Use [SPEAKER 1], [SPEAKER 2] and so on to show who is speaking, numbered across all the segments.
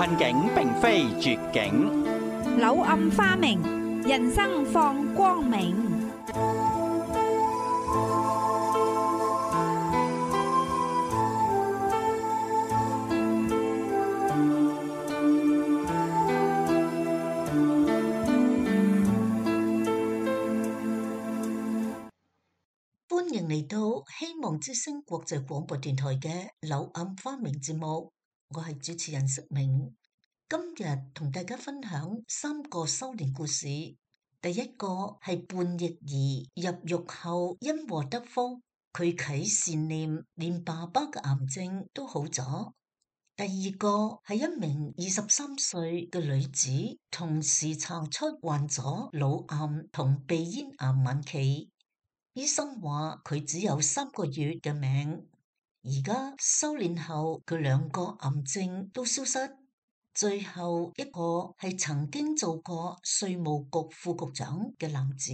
[SPEAKER 1] 困境並非絕境，
[SPEAKER 2] 柳暗花明，人生放光明。
[SPEAKER 3] 歡迎嚟到希望之聲國際廣播電台嘅柳暗花明節目，我係主持人石明。今日同大家分享3個修煉故事。第一個係叛逆兒入獄後因禍得福，佢啟善念，連爸爸嘅癌症都好咗。第二個係一名23歲嘅女子，同時查出患咗腦癌同鼻咽癌晚期。醫生話佢只有3個月嘅命，而家修煉後佢2個癌症都消失。最後一個係曾經做過稅務局副局長嘅男子，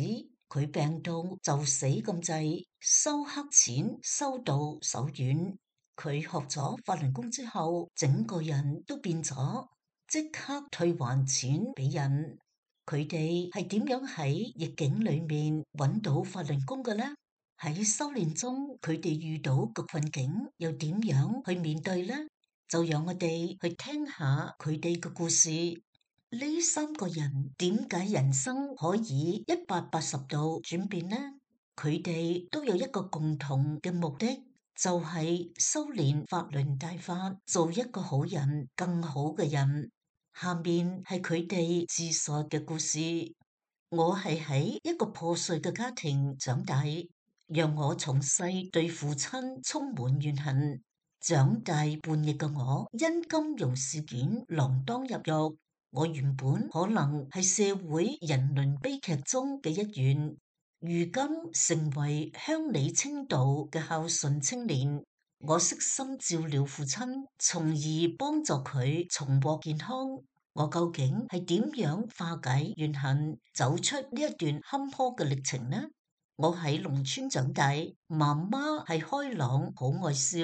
[SPEAKER 3] 佢病到就死咁滯，收黑錢收到手軟。佢學咗法輪功之後，整個人都變咗，即刻退還錢俾人。佢哋係點樣喺逆境裏面揾到法輪功嘅呢？喺修煉中，佢哋遇到嘅困境又點樣去面對呢？就讓我哋去聽下佢哋嘅故事。呢3個人點解人生可以180度轉變呢？佢哋都有一個共同嘅目的，就係修煉法輪大法，做一個好人，更好嘅人。下面係佢哋自述嘅故事。我係喺一個破碎嘅家庭長大，讓我從細對父親充滿怨恨。長大叛逆嘅我，因金融事件鋃鐺入獄。我原本可能係社會人倫悲劇中嘅一員，如今成為鄉里清道嘅孝順青年。我悉心照料父親，從而幫助佢重獲健康。我究竟係點樣化解怨恨，走出呢一段坎坷嘅歷程呢？我喺農村長大，媽媽係開朗好愛笑，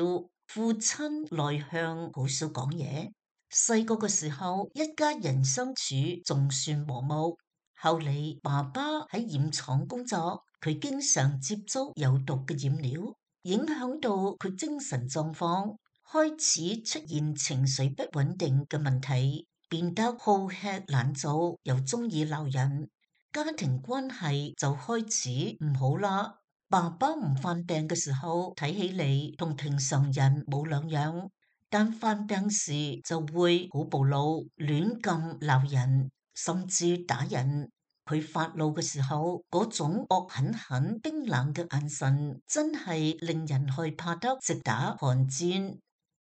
[SPEAKER 3] 父親內向好少講嘢。細個嘅時候，一家人相處仲算和睦。後嚟爸爸喺染廠工作，佢經常接觸有毒嘅染料，影響到佢精神狀況，開始出現情緒不穩定嘅問題，變得好吃懶做，又中意鬧人，家庭關係就開始唔好啦。爸爸唔犯病嘅時候，睇起嚟同平常人冇兩樣，但犯病時就會好暴怒，亂咁鬧人，甚至打人。佢發怒嘅時候，嗰種惡狠狠、冰冷嘅眼神，真係令人害怕得直打寒戰。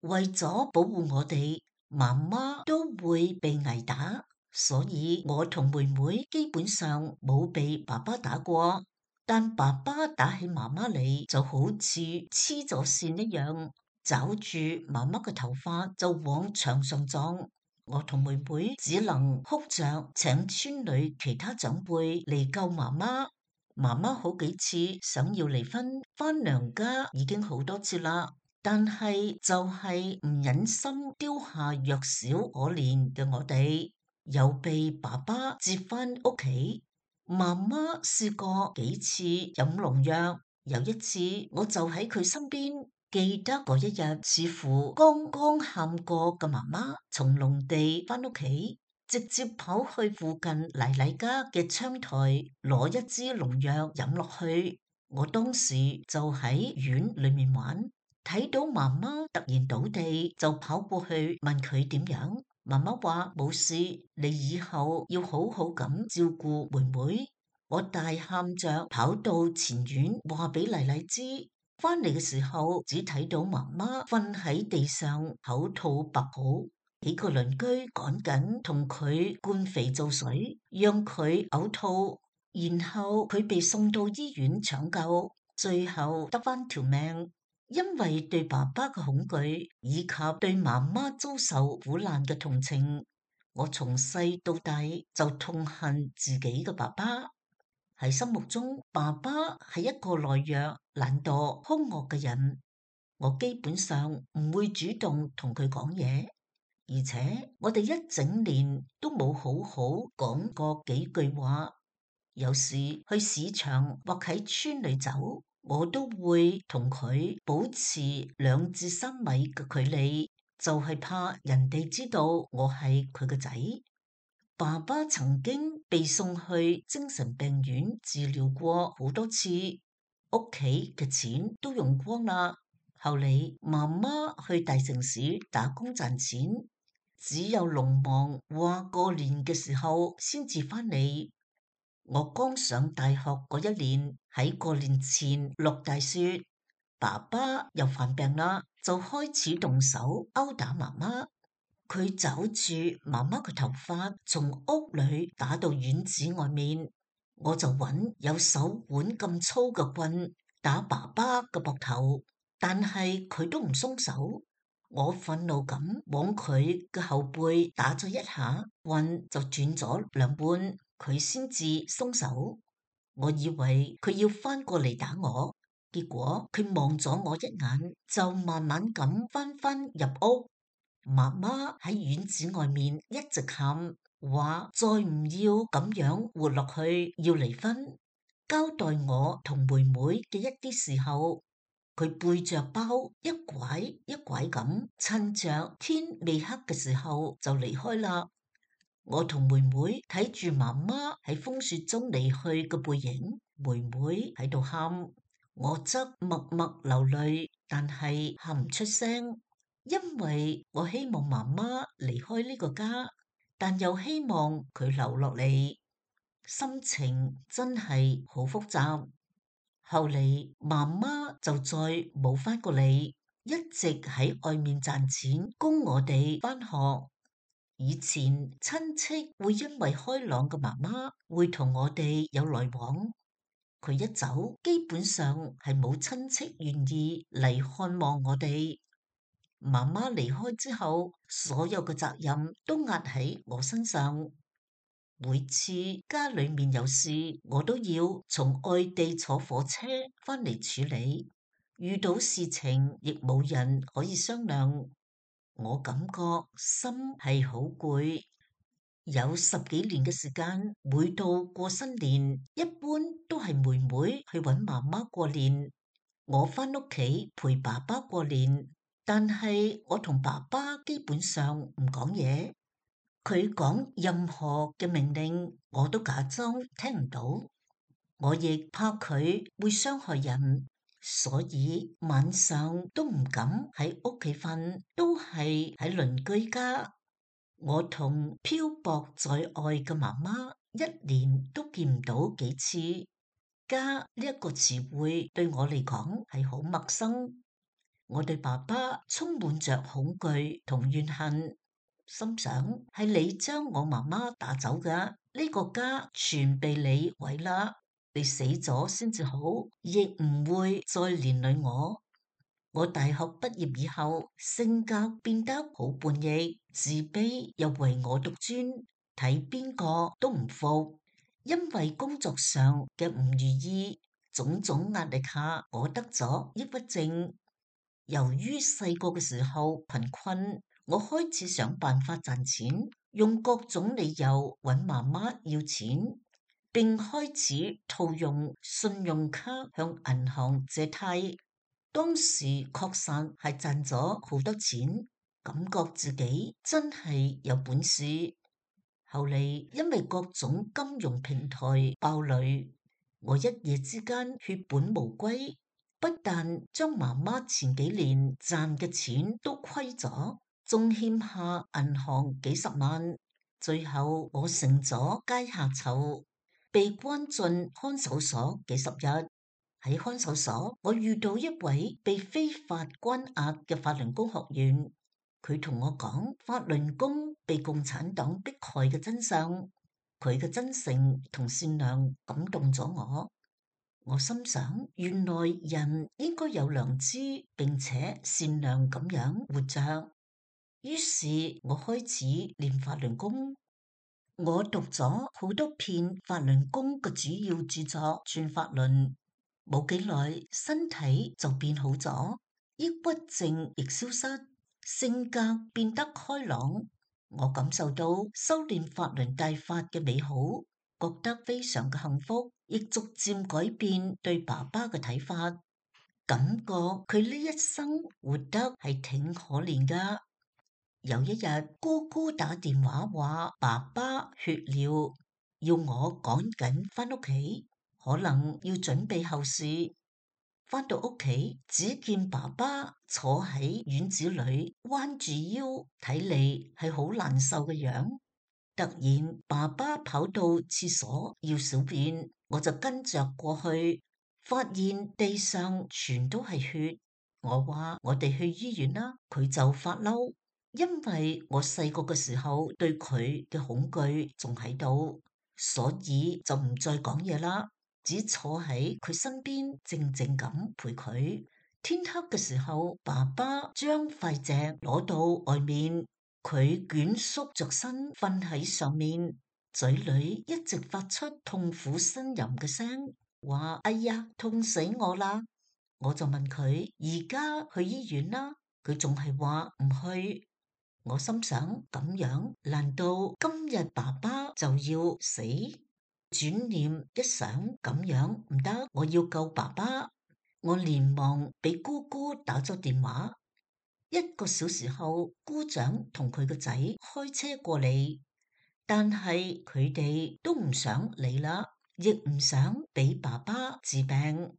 [SPEAKER 3] 為咗保護我哋，媽媽都會被挨打，所以我同妹妹基本上冇被爸爸打過。但爸爸打起媽媽嚟，就好似黐咗線一樣，抓住媽媽嘅頭髮就往牆上撞。我同妹妹只能哭着請村裏其他長輩嚟救媽媽。媽媽好幾次想要離婚，返娘家已經好多次啦，但係就係唔忍心丟下弱小可憐嘅我哋，又被爸爸接返屋企。媽媽試過幾次飲農藥，有一次我就喺佢身邊。記得嗰一日，似乎剛剛喊過嘅媽媽從農地返屋企，直接跑去附近奶奶家嘅窗台攞一支農藥飲落去。我當時就喺院裏面玩，睇到媽媽突然倒地，就跑過去問佢點樣。媽媽話冇事，你以後要好好咁照顧妹妹。我大喊着跑到前院話俾奶奶知。返嚟嘅時候，只睇到媽媽瞓喺地上，口吐白泡。幾個鄰居趕緊同佢灌肥皂水，讓佢嘔吐，然後佢被送到醫院搶救，最後得返條命。因為對爸爸嘅恐懼，以及對媽媽遭受苦難嘅同情，我從細到大就痛恨自己嘅爸爸。喺心目中，爸爸係一個懦弱、懶惰、兇惡嘅人。我基本上唔會主動同佢講嘢。而且我哋一整年都冇好好講過幾句話。有時去市場或喺村裏走，我都會同佢保持2至3米嘅距離，就係怕人哋知道我係佢個仔。爸爸曾經被送去精神病院治療過好多次，屋企嘅錢都用光啦。後嚟媽媽去大城市打工賺錢，只有農忙話過年嘅時候先至返嚟。我剛上大學嗰一年，喺過年前落大雪，爸爸又犯病啦，就開始動手毆打媽媽。佢抓住媽媽嘅頭髮，從屋裏打到院子外面。我就揾有手腕咁粗嘅棍打爸爸嘅膊頭，但係佢都唔鬆手。我憤怒咁往佢嘅後背打咗一下，棍就轉咗2半，佢先至鬆手。我以為佢要翻過嚟打我，結果佢望咗我一眼，就慢慢咁翻入屋。媽媽喺院子外面一直喊，話再唔要咁樣活落去，要離婚。交代我同妹妹嘅一啲時候，佢背着包一拐一拐咁，趁着天未黑嘅時候就離開啦。我同妹妹睇住媽媽喺風雪中離去嘅背影，妹妹喺度喊，我則默默流淚，但係喊唔出聲。因為我希望媽媽離開呢個家，但又希望佢留落嚟，心情真係好複雜。後嚟媽媽就再冇返過嚟，一直喺外面賺錢供我哋返學。以前親戚會因為開朗嘅媽媽會同我哋有來往，佢一走，基本上係冇親戚願意嚟看望我哋。媽媽離開之後，所有嘅責任都壓喺我身上。每次家裏面有事，我都要從外地坐火車返嚟處理。遇到事情亦冇人可以商量，我感覺心係好攰。有10幾年嘅時間，每到過新年，一般都係妹妹去搵媽媽過年，我返屋企陪爸爸過年。但係我同爸爸基本上唔講嘢，佢講任何嘅命令，我都假裝聽唔到。我亦怕佢會傷害人，所以晚上都唔敢喺屋企瞓，都係喺鄰居家。我同漂泊在外嘅媽媽一年都見唔到幾次。家呢一個詞彙對我嚟講係好陌生。我對爸爸充滿着恐懼同怨恨，心想係你將我媽媽打走嘅，呢個家全被你毀啦，你死咗先至好，亦唔會再連累我。我大學畢業以後，性格變得好叛逆，自卑又唯我獨尊，睇邊個都唔服。因為工作上嘅唔如意，種種壓力下，我得咗抑鬱症。由於細個嘅時候貧困，我開始想辦法賺錢，用各種理由揾媽媽要錢，並開始套用信用卡向銀行借貸。當時確實係賺咗好多錢，感覺自己真係有本事。後嚟因為各種金融平台爆雷，我一夜之間血本無歸。不但將媽媽前幾年賺嘅錢都虧咗，仲欠下銀行幾十萬，最後我成咗階下囚，被關進看守所幾十日。喺看守所，我遇到一位被非法關押嘅法輪功學員，佢同我講法輪功被共產黨迫害嘅真相，佢嘅真誠同善良感動咗我。我心想，原來人應該有良知，並且善良咁樣活着。於是我開始練法輪功。我讀咗好多篇法輪功嘅主要著作，轉法輪，冇幾耐身體就變好咗，抑鬱症亦消失。性格變得開朗。我感受到修煉法輪大法嘅美好，覺得非常嘅幸福，亦逐漸改變對爸爸嘅睇法，感覺佢呢一生活得係挺可憐噶。有一日，姑姑打電話話爸爸血尿，要我趕緊返屋企，可能要準備後事。返到屋企，只見爸爸坐喺院子裏，彎住腰，睇嚟係好難受嘅樣。突然，爸爸跑到廁所要小便，我就跟着過去，發現地上全都係血。我話我哋去醫院啦，佢就發嬲，因為我細個嘅時候對佢嘅恐懼仲喺度，所以就唔再講嘢啦。只坐喺佢身邊，靜靜咁陪佢。天黑嘅時候，爸爸將塊石攞到外面，佢蜷縮着身瞓喺上面，嘴裏一直發出痛苦呻吟嘅聲，話：哎呀，痛死我啦！我就問佢：而家去醫院啦？佢仲係話唔去。我心想：咁樣，難道今日爸爸就要死？轉念一想，咁樣唔得，我要救爸爸。我連忙俾姑姑打咗電話。1個小時後，姑丈同佢個仔開車過嚟，但係佢哋都唔想嚟啦，亦唔想俾爸爸治病，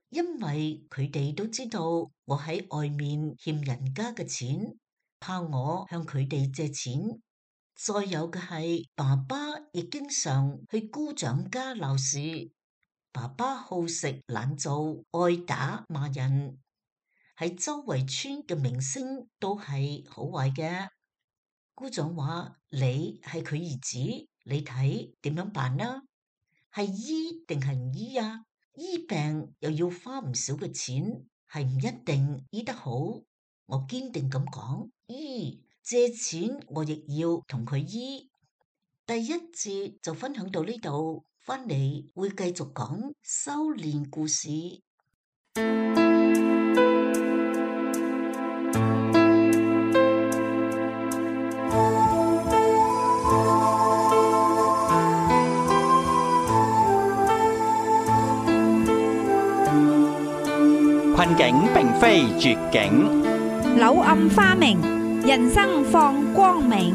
[SPEAKER 3] 因為佢哋都知道我喺外面欠人家嘅錢，怕我向佢哋借錢。再有嘅係，爸爸亦經常去姑丈家鬧事。爸爸好食懶做，愛打罵人，喺周圍村嘅名聲都係好壞嘅。姑丈話：你係佢兒子，你睇點樣辦啦？係醫定係唔醫啊？醫病又要花唔少嘅錢，係唔一定醫得好。我堅定咁講：醫。借錢我亦要同佢醫。第一節就分享到呢度，翻嚟會繼續講修煉故事。
[SPEAKER 1] 困境並非絕境，
[SPEAKER 2] 柳暗花明，人生放光明。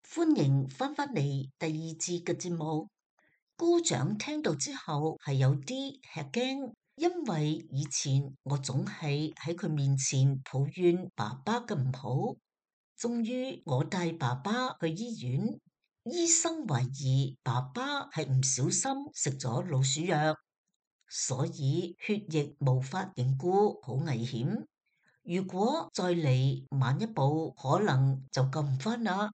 [SPEAKER 3] 歡迎翻返嚟第2節嘅節目。姑丈聽到之後係有啲吃驚，因為以前我總係喺佢面前抱怨爸爸嘅唔好。終於我帶爸爸去醫院，醫生懷疑爸爸係唔小心食咗老鼠藥，所以血液無法凝固，好危險。如果再嚟晚一步，可能就救唔返啦。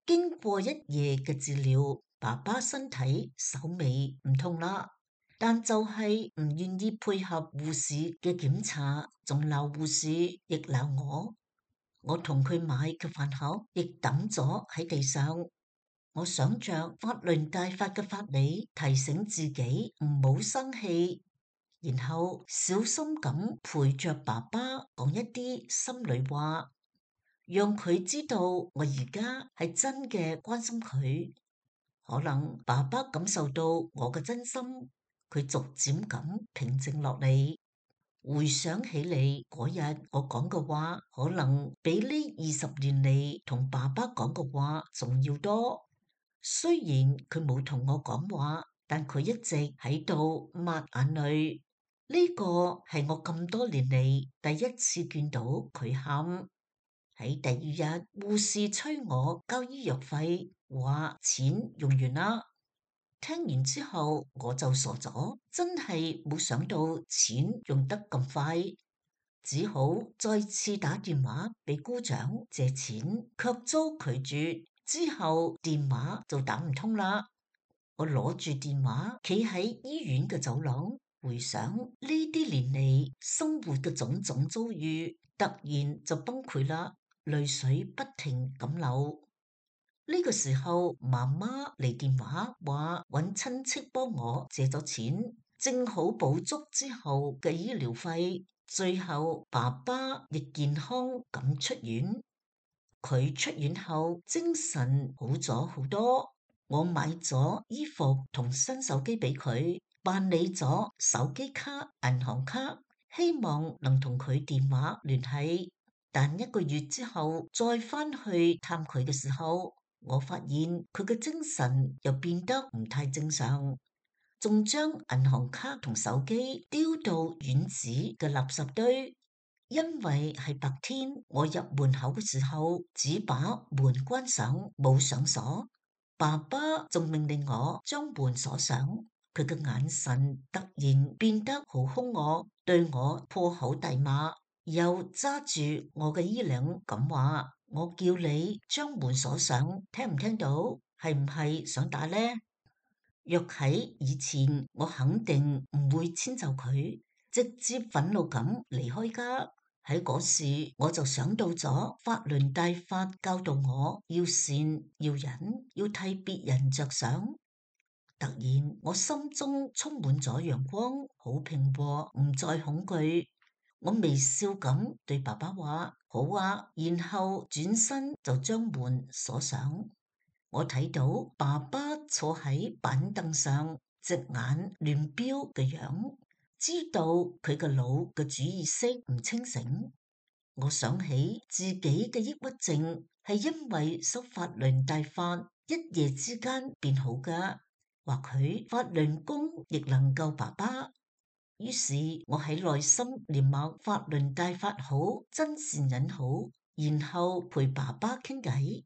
[SPEAKER 3] 經過1夜嘅治療，爸爸身體稍微唔痛啦，但就係唔願意配合護士嘅檢查，仲鬧護士，亦鬧我。我同佢買嘅飯盒亦抌咗喺地上。我想着法輪大法嘅法理，提醒自己唔好生氣，然後小心咁陪着爸爸講一啲心裏話，讓佢知道我而家係真嘅關心佢。可能爸爸感受到我嘅真心，佢逐漸咁平靜落嚟。回想起嚟嗰日我講嘅話，可能比呢20年嚟同爸爸講嘅話仲要多。雖然佢冇同我講話，但佢一直喺度抹眼淚。呢個係我咁多年嚟第一次見到佢喊。喺第2日，護士催我交醫藥費，話錢用完啦。聽完之後我就傻咗，真係冇想到錢用得咁快，只好再次打電話俾姑丈借錢，卻遭拒絕。之後電話就打唔通啦。我攞住電話，企喺醫院嘅走廊，回想呢啲年嚟生活嘅種種遭遇。突然就崩潰啦，淚水不停咁流。呢個時候，媽媽嚟電話話揾親戚幫我借咗錢，正好補足之後嘅醫療費。最後爸爸亦健康咁出院。佢出院後精神好咗好多。我買咗衣服同新手機俾佢，辦理咗手機卡、銀行卡，希望能同佢電話聯繫。但1個月之後再返去探佢嘅時候，我發現佢嘅精神又變得唔太正常，仲將銀行卡同手機丟到院子嘅垃圾堆。因為係白天，我入門口嘅時候只把門關上，冇上鎖。爸爸仲命令我將門鎖上。佢嘅眼神突然變得好兇惡，對我破口大罵，又揸住我嘅衣領咁話：我叫你將門鎖上，聽唔聽到？係唔係想打呢？若喺以前，我肯定唔會遷就佢，直接憤怒咁離開家。喺嗰時，我就想到咗法輪大法教導我要善要忍，要替別人着想。突然，我心中充滿咗陽光，好平和，唔再恐懼。我微笑咁對爸爸話：好啊，然後轉身就將門鎖上。我睇到爸爸坐喺板凳上，隻眼亂飆嘅樣，知道佢個腦嘅主意識唔清醒。我想起自己嘅抑鬱症係因為修法輪大法一夜之間變好㗎，或許法輪功亦能救爸爸。於是我喺內心念默法輪大法好，真善忍好，然後陪爸爸傾偈。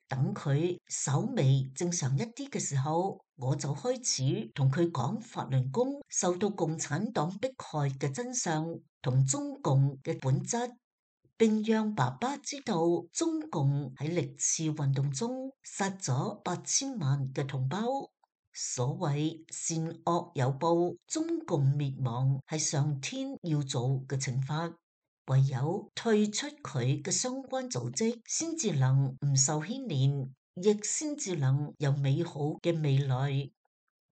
[SPEAKER 3] 等佢稍微正常一啲嘅時候，我就開始同佢講法輪功受到共產黨迫害嘅真相同中共嘅本質，並讓爸爸知道中共喺歷次運動中殺咗8000萬嘅同胞。所謂善惡有報，中共滅亡係上天要做嘅懲罰。唯有退出佢嘅相關組織，先至能唔受牽連，亦先至能有美好嘅未來。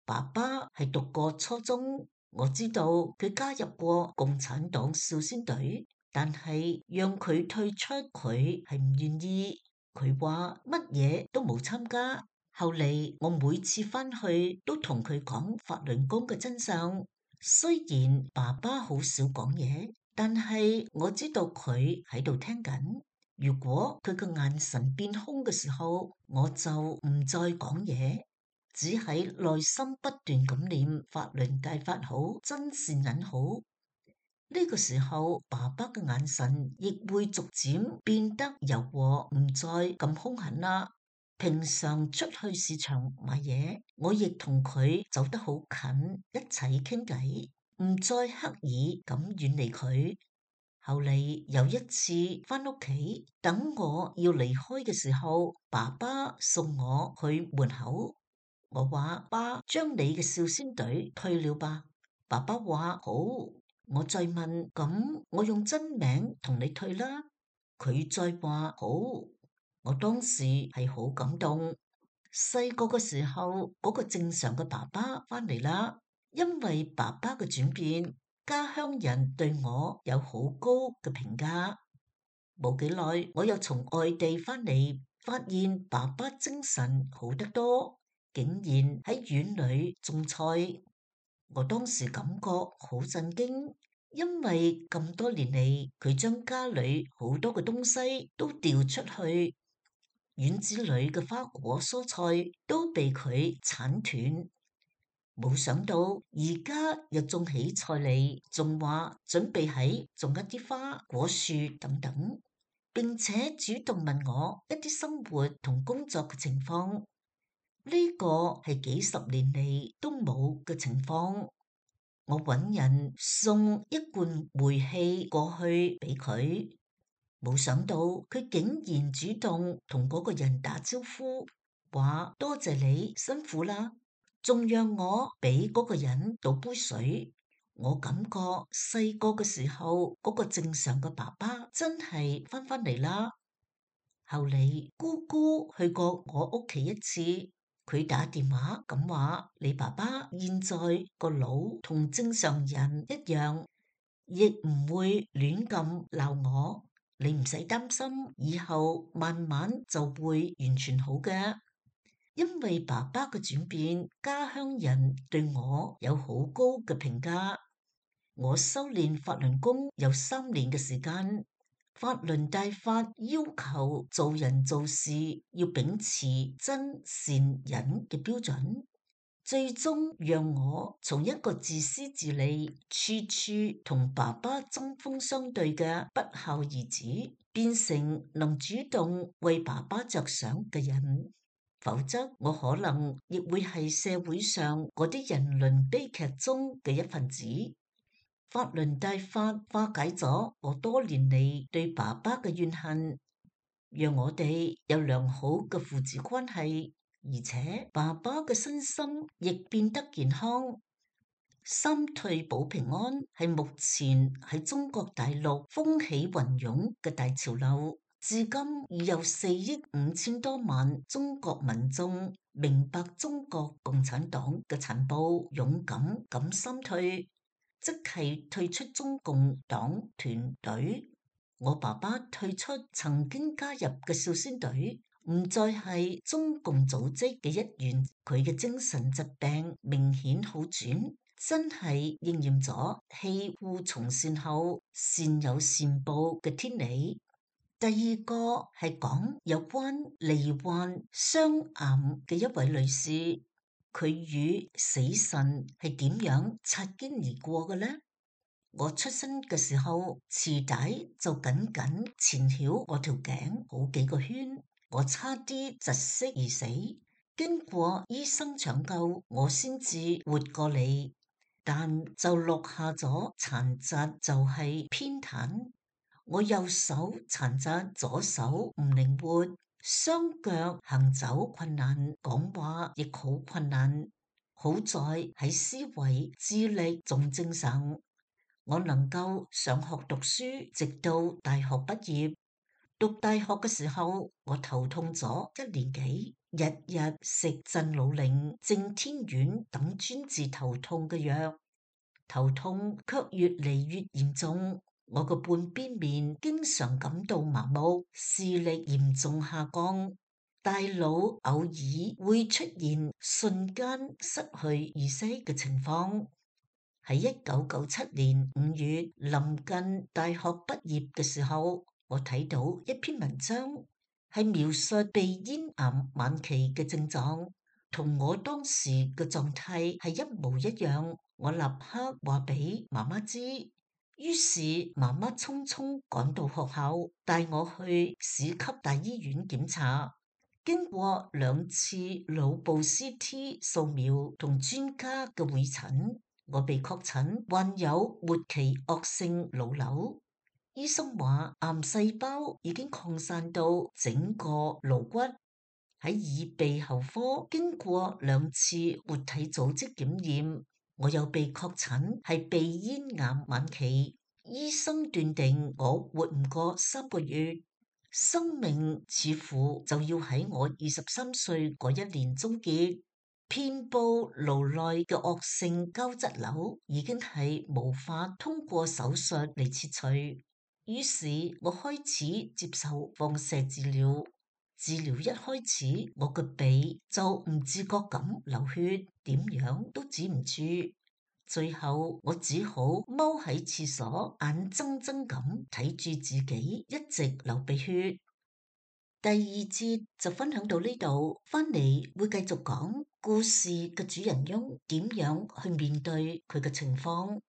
[SPEAKER 3] 爸爸係讀過初中，我知道佢加入過共產黨少先隊，但係讓佢退出，佢係唔願意。佢話乜嘢都冇參加。後嚟我每次返去都同佢講法輪功嘅真相，雖然爸爸好少講嘢，但係我知道佢喺度聽緊。如果佢嘅眼神變空嘅時候，我就唔再講嘢，只喺內心不斷咁念法輪大法好，真善忍好。呢個時候，爸爸嘅眼神亦會逐漸變得柔和，唔再咁兇狠啦。平常出去市場買嘢，我亦同佢走得好近，一齊傾偈，唔再刻意咁遠離佢。後嚟有一次返屋企，等我要離開嘅時候，爸爸送我去門口。我話：爸，將你嘅少先隊退了吧。爸爸話：好。我再問：咁我用真名同你退啦。佢再話：好。我當時係好感動。細個嘅時候，嗰個正常嘅爸爸返嚟啦。因為爸爸嘅轉變，家鄉人對我有好高嘅評價。冇幾耐，我又從外地返嚟，發現爸爸精神好得多，竟然喺院裏種菜。我當時感覺好震驚，因為咁多年嚟，佢將家裏好多嘅東西都掉出去，院子裏嘅花果蔬菜都被佢鏟斷。冇想到而家又種起菜嚟，仲話準備喺種一啲花果樹等等，並且主動問我一啲生活同工作嘅情況。呢個係幾十年嚟都冇嘅情況。我揾人送一罐煤氣過去俾佢，冇想到佢竟然主動同嗰個人打招呼，話多謝你辛苦啦，仲讓我俾嗰個人倒杯水。我感覺細個嘅時候嗰個正常嘅爸爸真係返嚟啦。後嚟姑姑去過我屋企一次，佢打電話咁話：你爸爸現在個腦同正常人一樣，亦唔會亂咁鬧我。你唔使擔心，以後慢慢就會完全好嘅。因為爸爸嘅轉變，家鄉人對我有好高嘅評價。我修煉法輪功有3年嘅時間。法輪大法要求做人做事要秉持真善忍嘅標準，最終讓我從一個自私自利、處處同爸爸針鋒相對嘅不孝兒子，變成能主動為爸爸着想嘅人。否則我可能亦會係社會上嗰啲人倫悲劇中嘅一份子。法輪大法化解咗我多年嚟對爸爸嘅怨恨，讓我哋有良好嘅父子關係，而且爸爸嘅身心亦變得健康。三退保平安係目前喺中國大陸風起雲湧嘅大潮流，至今已有4億5千多萬中國民眾明白中國共產黨嘅殘暴，勇敢咁三退。即係退出中共黨團隊，我爸爸退出曾經加入嘅少先隊，唔再係中共組織嘅一員。佢嘅精神疾病明顯好轉，真係應驗咗棄惡從善後善有善報嘅天理。第二個係講有關罹患雙癌嘅一位女士。佢與死神係點樣擦肩而過嘅呢？我出生嘅時候，臍帶就緊緊纏繞我條頸好幾個圈，我差啲窒息而死。經過醫生搶救，我先至活過嚟，但就落下咗殘疾，就係偏癱。我右手殘疾，左手唔靈活。雙腳行走困難，講話亦好困難。好在喺思維、智力仲正常，我能夠上學讀書，直到大學畢業。讀大學嘅時候，我頭痛咗1年幾，日日食鎮魯靈、正天丸等專治頭痛嘅藥，頭痛卻越嚟越嚴重。我個半邊面經常感到麻木，視力嚴重下降，大腦偶爾會出現瞬間失去意識嘅情況。喺1997年5月臨近大學畢業嘅時候，我睇到一篇文章，係描述鼻咽癌晚期嘅症狀，同我當時嘅狀態係一模一樣。我立刻話俾媽媽知。於是媽媽匆匆趕到學校，帶我去市級大醫院檢查。經過2次腦部 CT 掃描同專家嘅會診，我被確診患有末期惡性腦瘤。醫生話癌細胞已經擴散到整個顱骨。喺耳鼻喉科經過2次活體組織檢驗，我又被確診係鼻咽癌晚期，醫生斷定我活唔過3個月，生命似乎就要喺我23歲嗰1年終結。遍佈顱內嘅惡性膠質瘤已經係無法通過手術嚟切除，於是我開始接受放射治療。治療一開始，我個鼻就唔自覺咁流血，點樣都止唔住。最後我只好踎喺廁所，眼睜睜咁睇住自己一直流鼻血。第2節就分享到呢度，翻嚟會繼續講故事嘅主人翁點樣去面對佢嘅情況。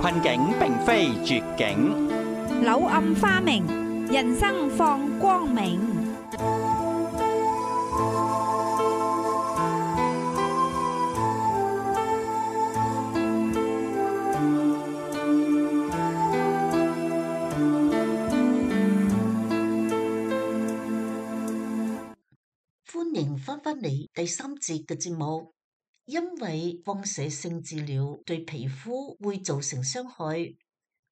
[SPEAKER 1] 困境並非絕境，
[SPEAKER 2] 柳暗花明，人生放光明。
[SPEAKER 3] 迎翻返嚟第3節嘅節目。因為放射性治療對皮膚會造成傷害，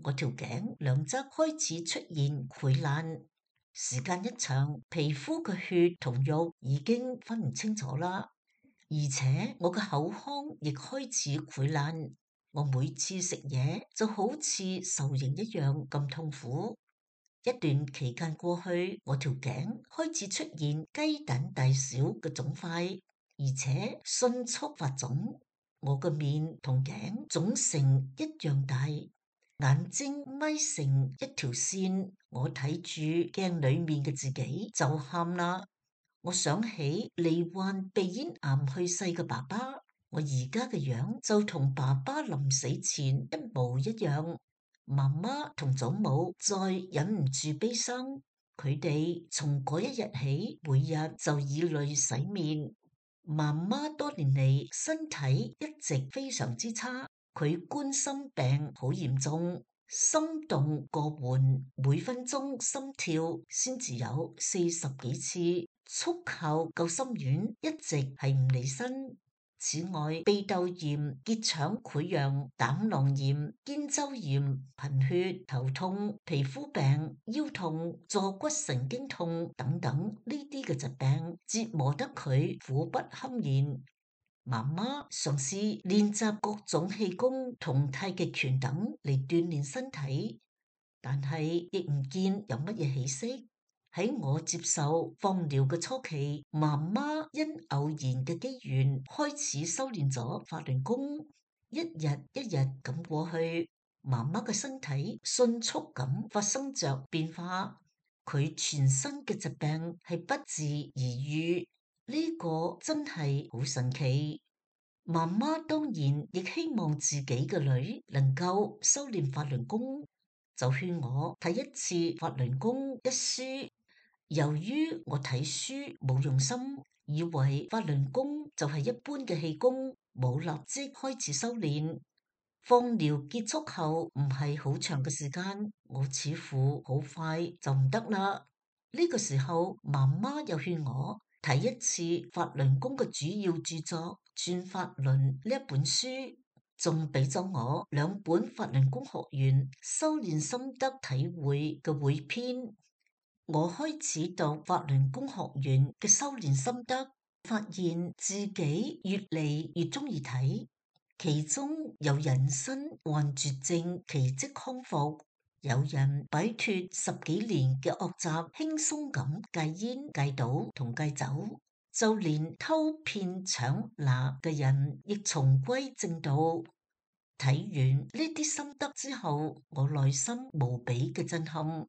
[SPEAKER 3] 我條頸兩側開始出現潰爛，時間一長，皮膚嘅血同肉已經分唔清楚啦，而且我嘅口腔亦開始潰爛，我每次食嘢就好似受刑一樣咁痛苦。一段期間過去，我條頸開始出現雞蛋大小嘅腫塊，而且迅速發腫。我嘅面同頸腫成一樣大，眼睛眯成一條線。我睇住鏡裏面嘅自己就喊啦。我想起罹患鼻咽癌去世嘅爸爸，我而家嘅樣就同爸爸臨死前一模一樣。媽媽同祖母再忍唔住悲傷，佢哋從嗰一日起，每日就以淚洗面。媽媽多年嚟身體一直非常之差，佢冠心病好嚴重，心動過緩，每分鐘心跳先至有40幾次，速效救心丸一直係唔離身。此外，鼻竇炎、結腸潰瘍、膽囊炎、肩周炎、貧血、頭痛、皮膚病、腰痛、坐骨神經痛等等呢啲嘅疾病折磨得佢苦不堪言。媽媽嘗試練習各種氣功同太極拳等嚟鍛煉身體，但係亦唔見有乜嘢起色。喺我接受放療嘅初期，媽媽因偶然嘅機緣開始修煉咗法輪功，一日一日咁過去，媽媽嘅身體迅速咁發生着變化，佢全身嘅疾病係不治而愈，呢個真係好神奇。媽媽當然亦希望自己嘅女能夠修煉法輪功，就勸我睇一次《法輪功》一書。由於我睇書冇用心，以為法輪功就係一般嘅氣功，冇立即開始修煉。放療結束後唔係好長嘅時間，我似乎好快就唔得啦。呢個時候，媽媽又勸我睇一次法輪功嘅主要著作《轉法輪》呢一本書，仲俾咗我2本法輪功學員修煉心得體會嘅匯編。我開始讀法輪功學員嘅修煉心得，發現自己越嚟越中意睇。其中有人身患絕症奇蹟康復，有人擺脫10幾年嘅惡習，輕鬆咁戒煙、戒賭同戒酒，就連偷騙搶拿嘅人亦重歸正道。睇完呢啲心得之後，我內心無比嘅震撼。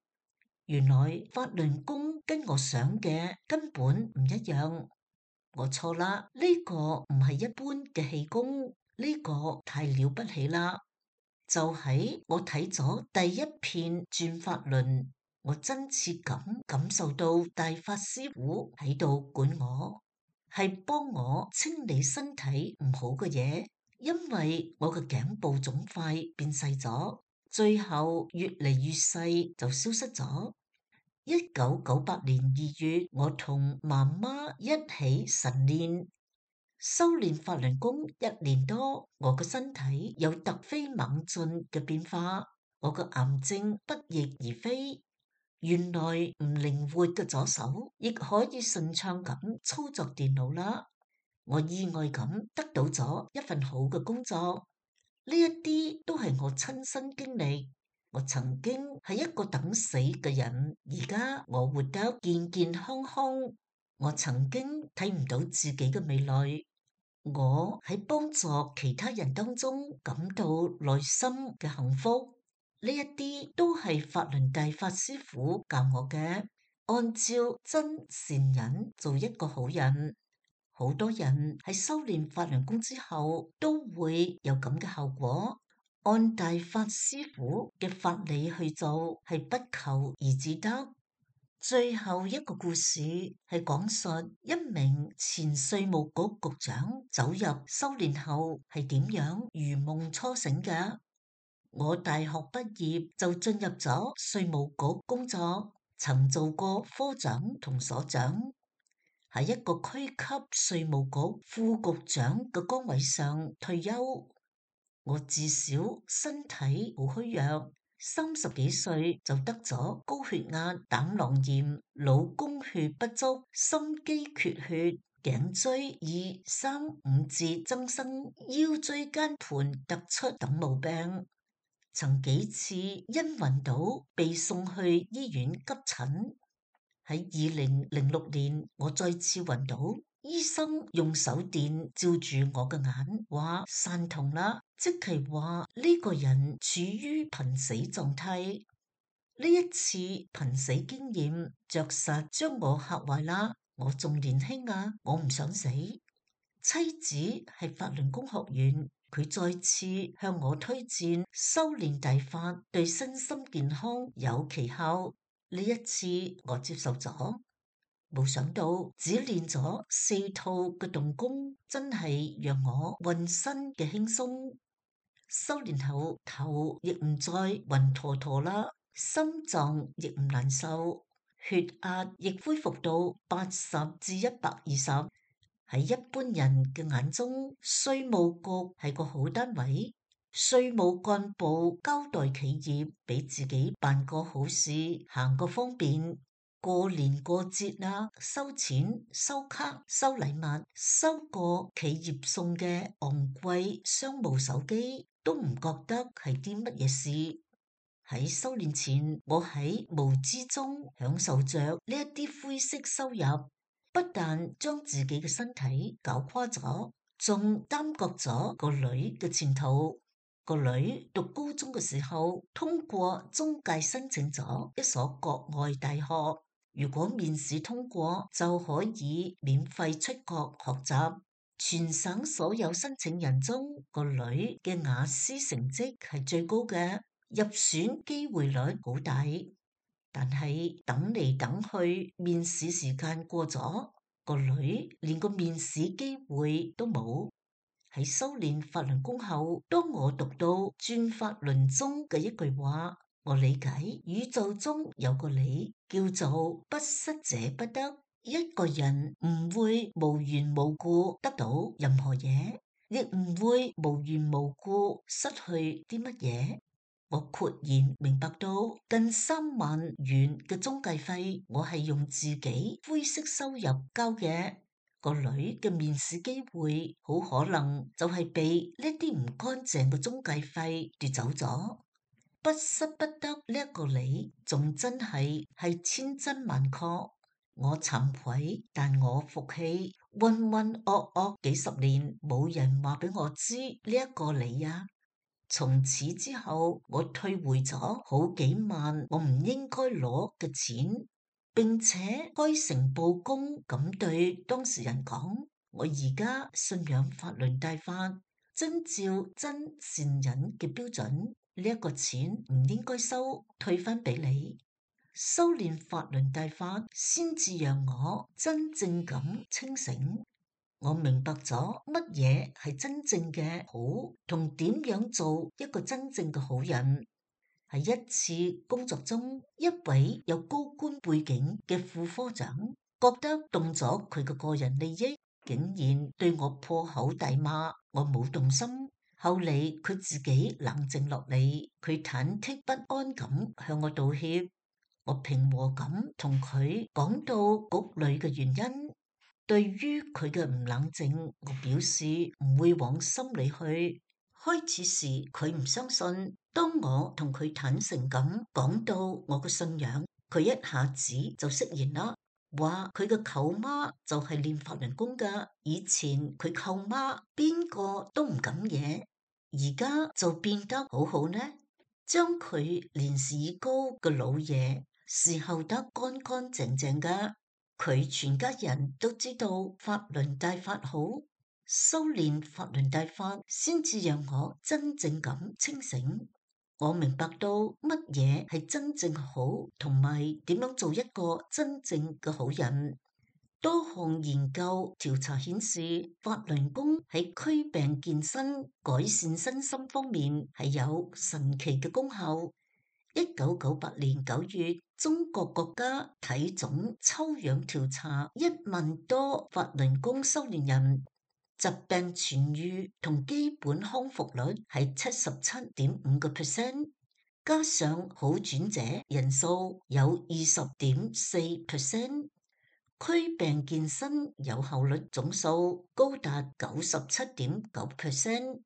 [SPEAKER 3] 原來法輪功跟我想嘅根本唔一樣，我錯啦，呢個唔係一般嘅氣功，呢個太了不起啦。就喺我睇咗第一遍轉法輪，我真切咁感受到大法師傅喺度管我，係幫我清理身體唔好嘅嘢，因為我嘅頸部腫塊變細咗，最後越嚟越細就消失咗。1998年2月，我同媽媽一起晨練，修煉法輪功1年多，我嘅身體有突飛猛進嘅變化，我嘅癌症不翼而飛。原來唔靈活嘅左手亦可以順暢咁操作電腦啦。我意外咁得到咗一份好嘅工作，呢一啲都係我親身經歷。我曾經係一個等死嘅人，而家我活得健健康康。我曾經睇唔到自己嘅未來，我喺幫助其他人當中感到內心嘅幸福。呢一啲都係法輪大法師傅教我嘅，按照真善忍做一個好人。好多人喺修煉法輪功之後都會有咁嘅效果。按大法師傅嘅法理去做，係不求而自得。最後一個故事係講述一名前稅務局局長走入修煉後係點樣如夢初醒嘅。我大學畢業就進入咗稅務局工作，曾做過科長同所長。喺一個區級稅務局副局長嘅崗位上退休。我自小身體好虛弱，30幾歲就得咗高血壓、膽囊炎、腦供血不足、心肌缺血、頸椎二三五節增生、腰椎間盤突出等毛病，曾幾次因暈倒被送去醫院急診。喺2006年，我再次暈倒，醫生用手電照住我嘅眼，話散瞳啦，即係話呢個人處於瀕死狀態。呢一次瀕死經驗着實將我嚇壞啦。我仲年輕啊，我唔想死。妻子係法輪功學員，佢再次向我推薦修煉大法對身心健康有奇效。呢一次我接受咗。冇想到只練咗4套嘅動功，真係讓我渾身嘅輕鬆。修煉後頭亦唔再暈陀陀啦，心臟亦唔難受，血壓亦恢復到80至120。喺一般人嘅眼中，稅務局係個好單位，稅務幹部交代企業俾自己辦個好事，行個方便。過年過節啊，收錢、收卡、收禮物、收個企業送嘅昂貴商務手機，都唔覺得係啲乜嘢事。喺修煉前，我喺無知中享受着呢一啲灰色收入，不但將自己嘅身體搞垮咗，仲耽擱咗個女嘅前途。個女讀高中嘅時候，通過中介申請咗一所國外大學。如果面試通過，就可以免費出國學習。全省所有申請人中，個女嘅雅思成績係最高嘅，入選機會率好大。但係等嚟等去，面試時間過咗，個女連個面試機會都冇。喺修煉法輪功後，當我讀到轉法輪中嘅一句話，我理解宇宙中有個理，叫做不失者不得。一個人唔會無緣無故得到任何嘢，亦唔會無緣無故失去啲乜嘢。我豁然明白到近3萬元嘅中介費，我係用自己灰色收入交嘅。個女嘅面試機會好可能就係被呢啲唔乾淨嘅中介費奪走咗。不失不得呢一個理，仲真係千真萬確。我慚愧，但我服氣。渾渾噩噩幾十年，冇人話俾我知呢一個理啊。從此之後，我退回咗好幾萬我唔應該攞嘅錢，並且開誠佈公咁對當事人講，我而家信仰法輪大法，遵照真善忍嘅標準，呢一個錢唔應該收，退翻俾你。修煉法輪大法，先至讓我真正咁清醒。我明白咗乜嘢係真正嘅好，同點樣做一個真正嘅好人。喺一次工作中，一位有高官背景嘅副科長覺得動咗佢嘅個人利益，竟然對我破口大罵。我冇動心，後嚟佢自己冷靜落嚟，佢忐忑不安咁向我道歉。我平和咁同佢講到局裏嘅原因。對於佢嘅唔冷靜，我表示唔會往心裏去。開始時佢唔相信，當我同佢坦誠咁講到我嘅信仰，佢一下子就釋然啦，話佢嘅舅媽就係練法輪功噶，以前佢舅媽邊個都唔敢惹，而家就變得好好呢，將佢年事已高嘅老爺侍候得乾乾淨淨噶。佢全家人都知道法輪大法好，修煉法輪大法先至讓我真正咁清醒。我明白到乜嘢係真正好，同埋點樣做一個真正嘅好人。多項研究調查顯示，法輪功喺驅病健身、改善身心方面係有神奇嘅功效。1998年9月，中國國家體總抽樣調查1萬多法輪功修煉人，疾病痊癒同基本康復率係77.5%，加上好轉者人數有20.4%，驅病健身有效率總數高達97.9%。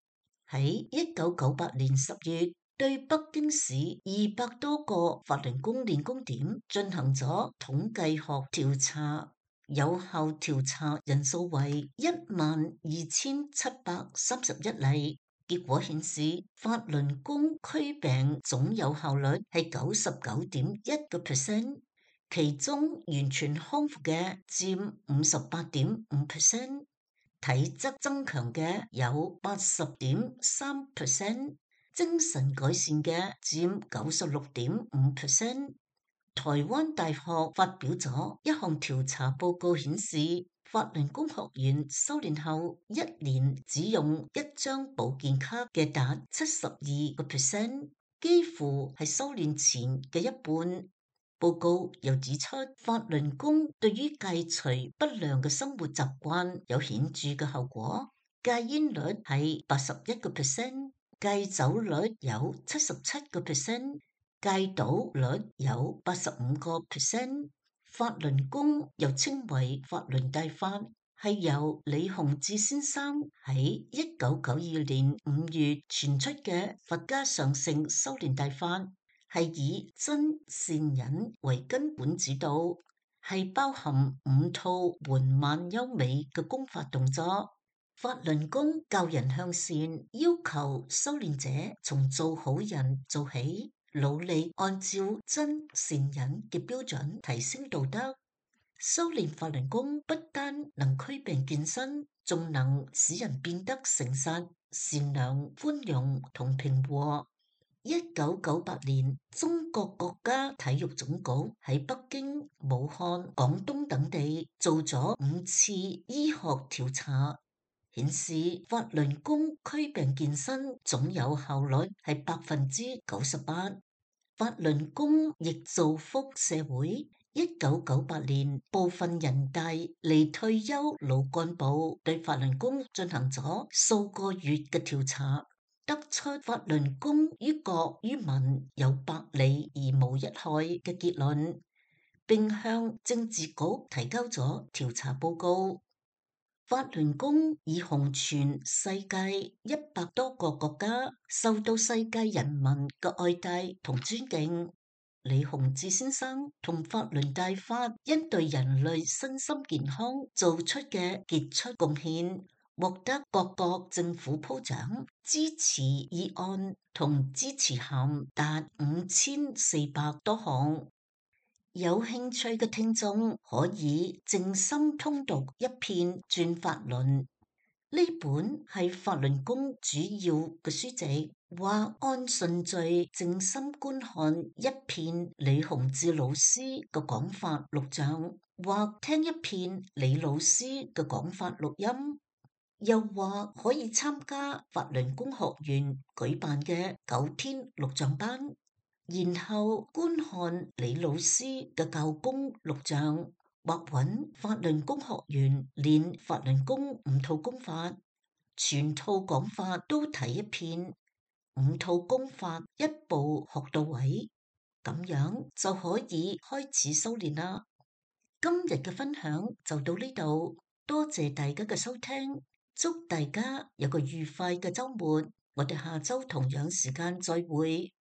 [SPEAKER 3] 喺1998年10月，對北京市200多個法輪功練功點進行咗統計學調查，有效調查人數為12,731例。結果顯示，法輪功驅病總有效率係99.1%，其中完全康復嘅佔58.5%。體質增強嘅有80.3%，精神改善嘅佔96.5%。台灣大學發表咗一項調查報告顯示，法輪功學員修煉後1年只用1張保健卡嘅達72%，幾乎係修煉前嘅一半。報告又指出，法輪功對於戒除不良嘅生活習慣有顯著嘅效果，戒煙率係81%，戒酒率有77%，戒賭率有85%。法輪功又稱為法輪大法，係由李洪志先生喺1992年5月傳出嘅佛家上乘修煉大法。係以真善忍為根本指導，係包含5套緩慢優美嘅功法動作。法輪功教人向善，要求修煉者從做好人做起，努力按照真善忍嘅標準提升道德。修煉法輪功不單能驅病健身，仲能使人變得誠實、善良、寬容同平和。1998年，中國國家體育總局喺北京、武漢、廣東等地做咗5次醫學調查，顯示法輪功驅病健身總有效率係98%。法輪功亦造福社會。1998年，部分人大離退休老幹部對法輪功進行咗數個月嘅調查，得出法輪功於國於民有百利而無一害嘅結論，並向政治局提交咗調查報告。法輪功已紅傳世界100多個國家，受到世界人民嘅愛戴同尊敬。李洪志先生同法輪大法因對人類身心健康做出嘅傑出貢獻，獲得各國政府褒獎，支持議案同支持函達5400多項。有興趣嘅聽眾可以靜心通讀一遍《轉法輪》，呢本係法輪功主要嘅書籍，或按順序靜心觀看一遍李洪志老師嘅講法錄像，或聽一遍李老師嘅講法錄音，又或可以參加法輪功學院舉辦嘅9天錄像班，然後觀看李老師嘅教功錄像，或揾法輪功學院練法輪功5套功法，全套講法都睇一遍，5套功法一步學到位，咁樣就可以開始修煉啦。今日嘅分享就到呢度，多謝大家嘅收聽，祝大家有個愉快嘅週末，我哋下週同樣時間再會。